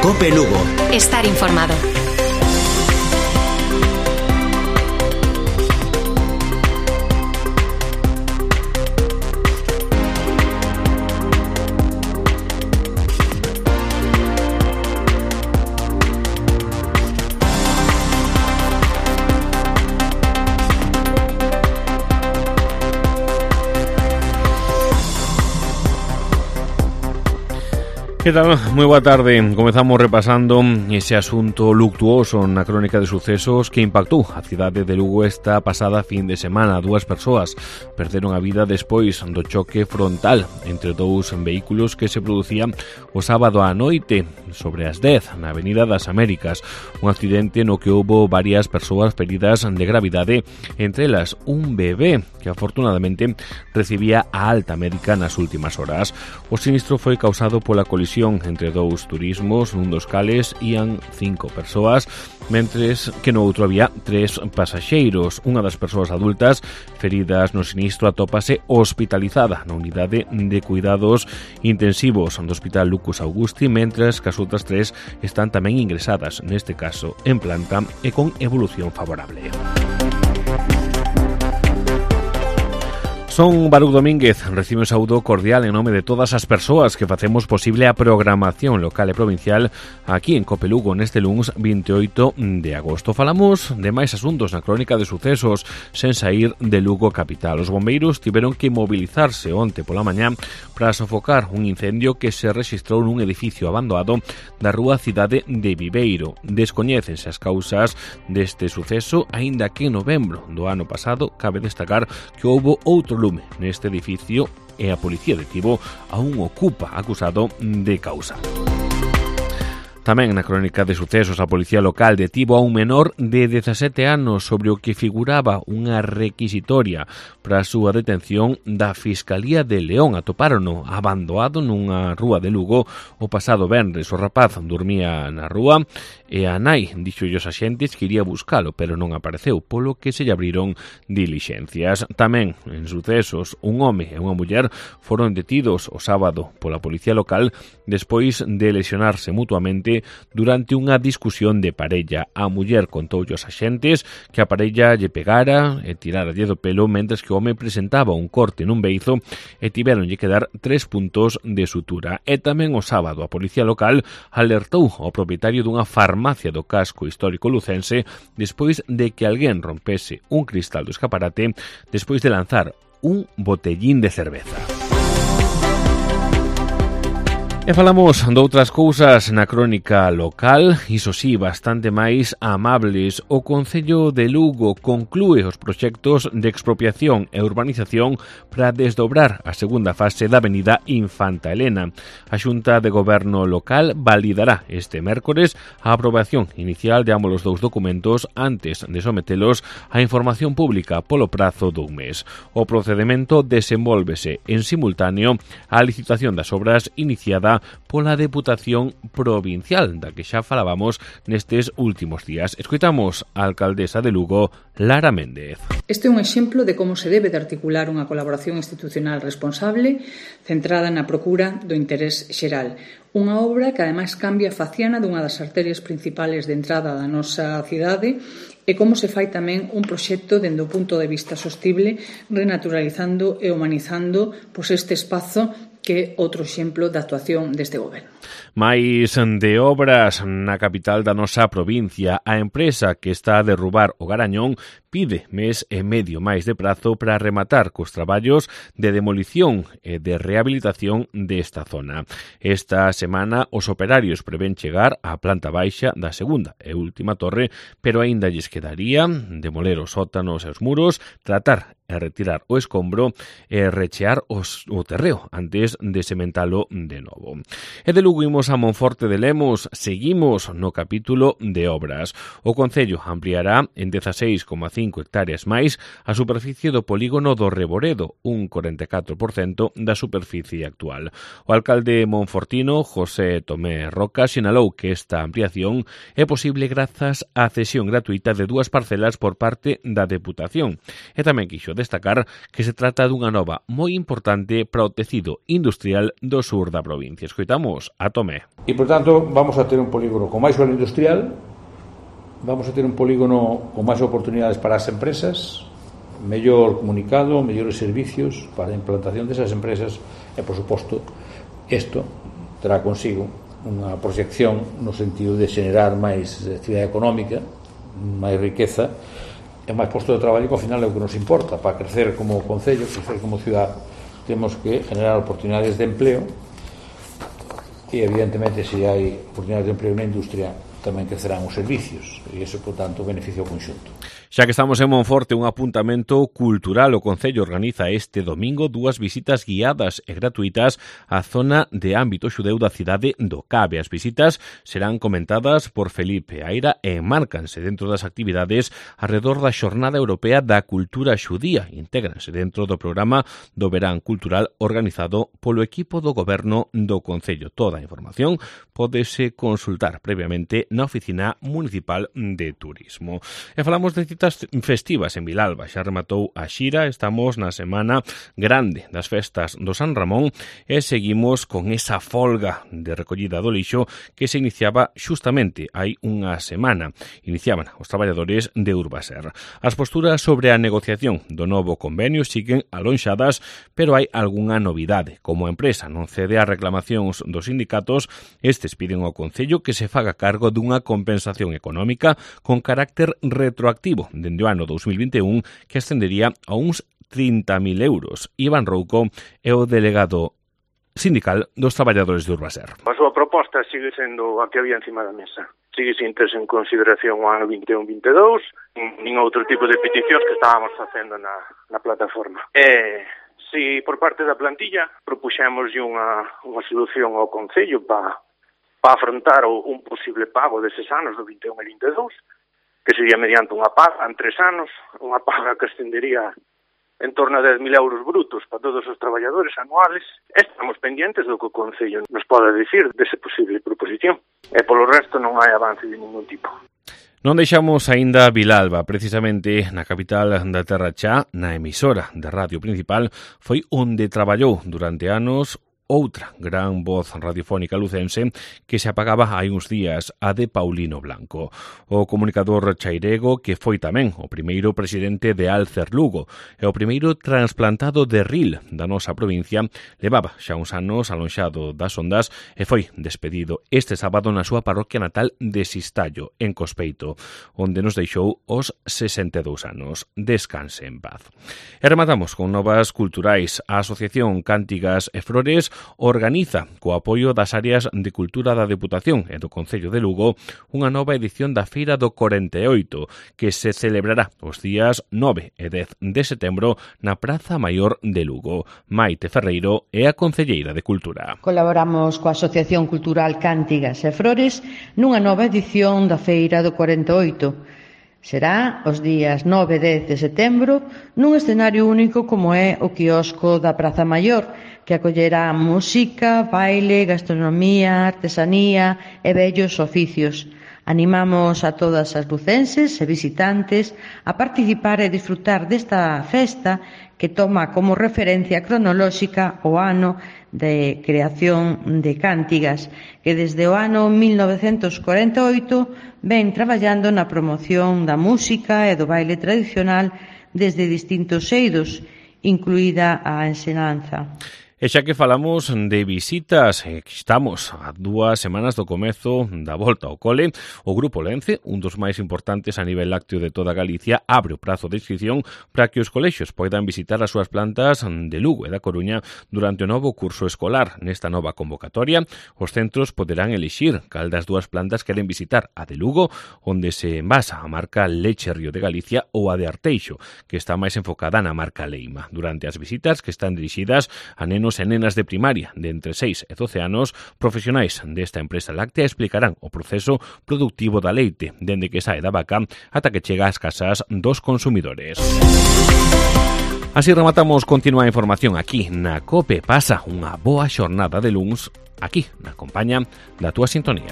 COPE Lugo. Estar informado. Que tal? Moi boa tarde. Comezamos repasando ese asunto luctuoso na crónica de sucesos que impactou a cidade de Lugo esta pasada fin de semana. 2 persoas perderon a vida despois do choque frontal entre 2 vehículos que se producía o sábado á noite sobre as 10 na Avenida das Américas. Un accidente no que houbo varias persoas feridas de gravidade, entre elas un bebé que afortunadamente recibía a alta médica nas últimas horas. O sinistro foi causado pola colisión entre 2 turismos, nun dos cales ían 5 persoas, mentres que no outro había 3 pasaxeiros. Unha das persoas adultas feridas no sinistro atópase hospitalizada na unidade de cuidados intensivos do Hospital Lucas Augusti, mentres que as outras 3 están tamén ingresadas, neste caso en planta e con evolución favorable. Son Baruch Domínguez, recibe un saúdo cordial en nome de todas as persoas que facemos posible a programación local e provincial aquí en COPE Lugo neste luns 28 de agosto. Falamos de máis asuntos na crónica de sucesos sen saír de Lugo capital. Os bombeiros tiveron que mobilizarse onte pola mañá para sofocar un incendio que se rexistrou nun edificio abandonado da rúa Cidade de Viveiro. Descoñécense as causas deste suceso, aínda que en novembro do ano pasado cabe destacar que houbo outro lume neste edificio e a policía detivo a un ocupa acusado de causa. Tamén na crónica de sucesos a policía local detivo a un menor de 17 anos sobre o que figuraba unha requisitoria para a súa detención da Fiscalía de León. Atopárono abandonado nunha rúa de Lugo o pasado venres. O rapaz dormía na rúa e a nai dixo aos axentes que iría buscalo, pero non apareceu, polo que se lle abriron dilixencias. Tamén en sucesos un home e unha muller foron detidos o sábado pola policía local despois de lesionarse mutuamente durante unha discusión de parella. A muller contou aos axentes que a parella lle pegara e tirara do pelo, mentres que o home presentaba un corte nun beizo e tiveronlle que dar 3 puntos de sutura. E tamén o sábado a policía local alertou ao propietario dunha farmacia do casco histórico lucense despois de que alguén rompese un cristal do escaparate despois de lanzar un botellín de cerveza. E falamos de outras cousas na crónica local, iso sí, bastante máis amables. O Concello de Lugo conclúe os proxectos de expropiación e urbanización para desdobrar a segunda fase da avenida Infanta Elena. A Xunta de Goberno local validará este mércores a aprobación inicial de ambos os 2 documentos antes de sometelos á información pública polo prazo dun mes. O procedimento desenvólvese en simultáneo á licitación das obras iniciada pola Deputación Provincial, da que xa falábamos nestes últimos días. Escoitamos a alcaldesa de Lugo, Lara Méndez. Este é un exemplo de como se debe de articular unha colaboración institucional responsable centrada na procura do interés xeral. Unha obra que ademais cambia a faciana dunha das arterias principales de entrada da nosa cidade e como se fai tamén un proxecto dende o punto de vista sostible, renaturalizando e humanizando este espazo que é outro exemplo da actuación deste goberno. Mais de obras na capital da nosa provincia, a empresa que está a derrubar o Garañón pide mes e medio máis de prazo para rematar cos traballos de demolición e de rehabilitación desta zona. Esta semana os operarios prevén chegar á planta baixa da segunda e última torre, pero aínda lles quedaría demoler os sótanos e os muros, tratar e retirar o escombro e rechear o terreo antes de sementalo de novo. E de Lugo imos a Monforte de Lemos, seguimos no capítulo de obras. O Concello ampliará en 16,5 hectáreas máis a superficie do polígono do Reboredo, un 44% da superficie actual. O alcalde monfortino, José Tomé Roca, sinalou que esta ampliación é posible grazas á cesión gratuita de 2 parcelas por parte da Deputación. E tamén quixo destacar que se trata dunha nova moi importante para o tecido industrial do sur da provincia. Escoitamos a Tomé. E, por tanto, vamos a ter un polígono con máis suelo industrial, vamos a ter un polígono con máis oportunidades para as empresas, mellor comunicado, mellores servicios para a implantación desas empresas e, por suposto, isto terá consigo unha proxección no sentido de xenerar máis actividade económica, máis riqueza e máis posto de traballo, que ao final é o que nos importa. Para crecer como concello, crecer como ciudad, temos que generar oportunidades de empleo e, evidentemente, se hai oportunidades de empleo na industria, tamén crecerán os servicios e iso, por tanto, beneficia o conxunto. Xa que estamos en Monforte, un apuntamento cultural. O Concello organiza este domingo 2 visitas guiadas e gratuitas á zona de ámbito xudeu da cidade do Cabe. As visitas serán comentadas por Felipe Aira e enmárcanse dentro das actividades alrededor da Xornada Europea da Cultura Xudía. Intégranse dentro do programa do Verán Cultural organizado polo equipo do Goberno do Concello. Toda a información pódese consultar previamente na Oficina Municipal de Turismo. E falamos de citas festivas en Vilalba. Xa rematou a xira, estamos na semana grande das festas do San Ramón e seguimos con esa folga de recollida do lixo que se iniciaba xustamente hai unha semana. Iniciaban os traballadores de Urbaser. As posturas sobre a negociación do novo convenio siguen alonxadas, pero hai algunha novidade. Como a empresa non cede as reclamacións dos sindicatos, estes piden ao Concello que se faga cargo dunha compensación económica con carácter retroactivo dende o ano 2021 que ascendería a uns 30.000 euros. Iván Rouco é o delegado sindical dos traballadores de Urbaser. A súa proposta sigue sendo a que había encima da mesa. Sigue sin terse en consideración o ano 21-22, nin outro tipo de peticións que estábamos facendo na plataforma. Si por parte da plantilla propuxemos unha solución ao Concello para afrontar un posible pago deses anos do 21 e 22, que sería mediante unha paga en 3 anos, unha paga que ascendería en torno a 10.000 euros brutos para todos os traballadores anuales. Estamos pendientes do que o Concello nos pode dicir dese posible proposición. E polo resto non hai avance de ningún tipo. Non deixamos aínda Vilalba, precisamente na capital da Terra Chá, na emisora de radio principal, foi onde traballou durante anos outra gran voz radiofónica lucense que se apagaba hai uns días, a de Paulino Blanco. O comunicador chairego que foi tamén o primeiro presidente de Alcer Lugo e o primeiro trasplantado de Ril da nosa provincia, levaba xa uns anos alonxado das ondas e foi despedido este sábado na súa parroquia natal de Sistallo, en Cospeito, onde nos deixou os 62 anos. Descanse en paz. E rematamos con novas culturais. A Asociación Cántigas e Flores organiza, co apoio das áreas de cultura da Deputación e do Concello de Lugo, unha nova edición da Feira do 48, que se celebrará os días 9 e 10 de setembro na Praza Maior de Lugo. Maite Ferreiro é a concelleira de Cultura. Colaboramos coa Asociación Cultural Cántigas e Flores nunha nova edición da Feira do 48. Será os días 9 e 10 de setembro nun escenario único como é o quiosco da Praza Maior, que acollerá música, baile, gastronomía, artesanía e bellos oficios. Animamos a todas as lucenses e visitantes a participar e disfrutar desta festa que toma como referencia cronolóxica o ano de creación de Cántigas, que desde o ano 1948 ven traballando na promoción da música e do baile tradicional desde distintos eidos, incluída a ensinanza. E xa que falamos de visitas, estamos a 2 semanas do comezo da volta ao cole, o Grupo Lence, un dos máis importantes a nivel lácteo de toda Galicia, abre o prazo de inscripción para que os colexios poidan visitar as súas plantas de Lugo e da Coruña durante o novo curso escolar. Nesta nova convocatoria, os centros poderán elixir cal das 2 plantas queren visitar, a de Lugo, onde se envasa a marca Leche Río de Galicia, ou a de Arteixo, que está máis enfocada na marca Leima. Durante as visitas, que están dirixidas a nenos e nenas de primaria de entre 6 e 12 anos, profesionais desta empresa láctea explicarán o proceso productivo da leite, dende que sae da vaca ata que chega ás casas dos consumidores. Así rematamos. Continúa a información aquí na COPE. Pasa unha boa xornada de luns aquí na compañía da túa sintonía.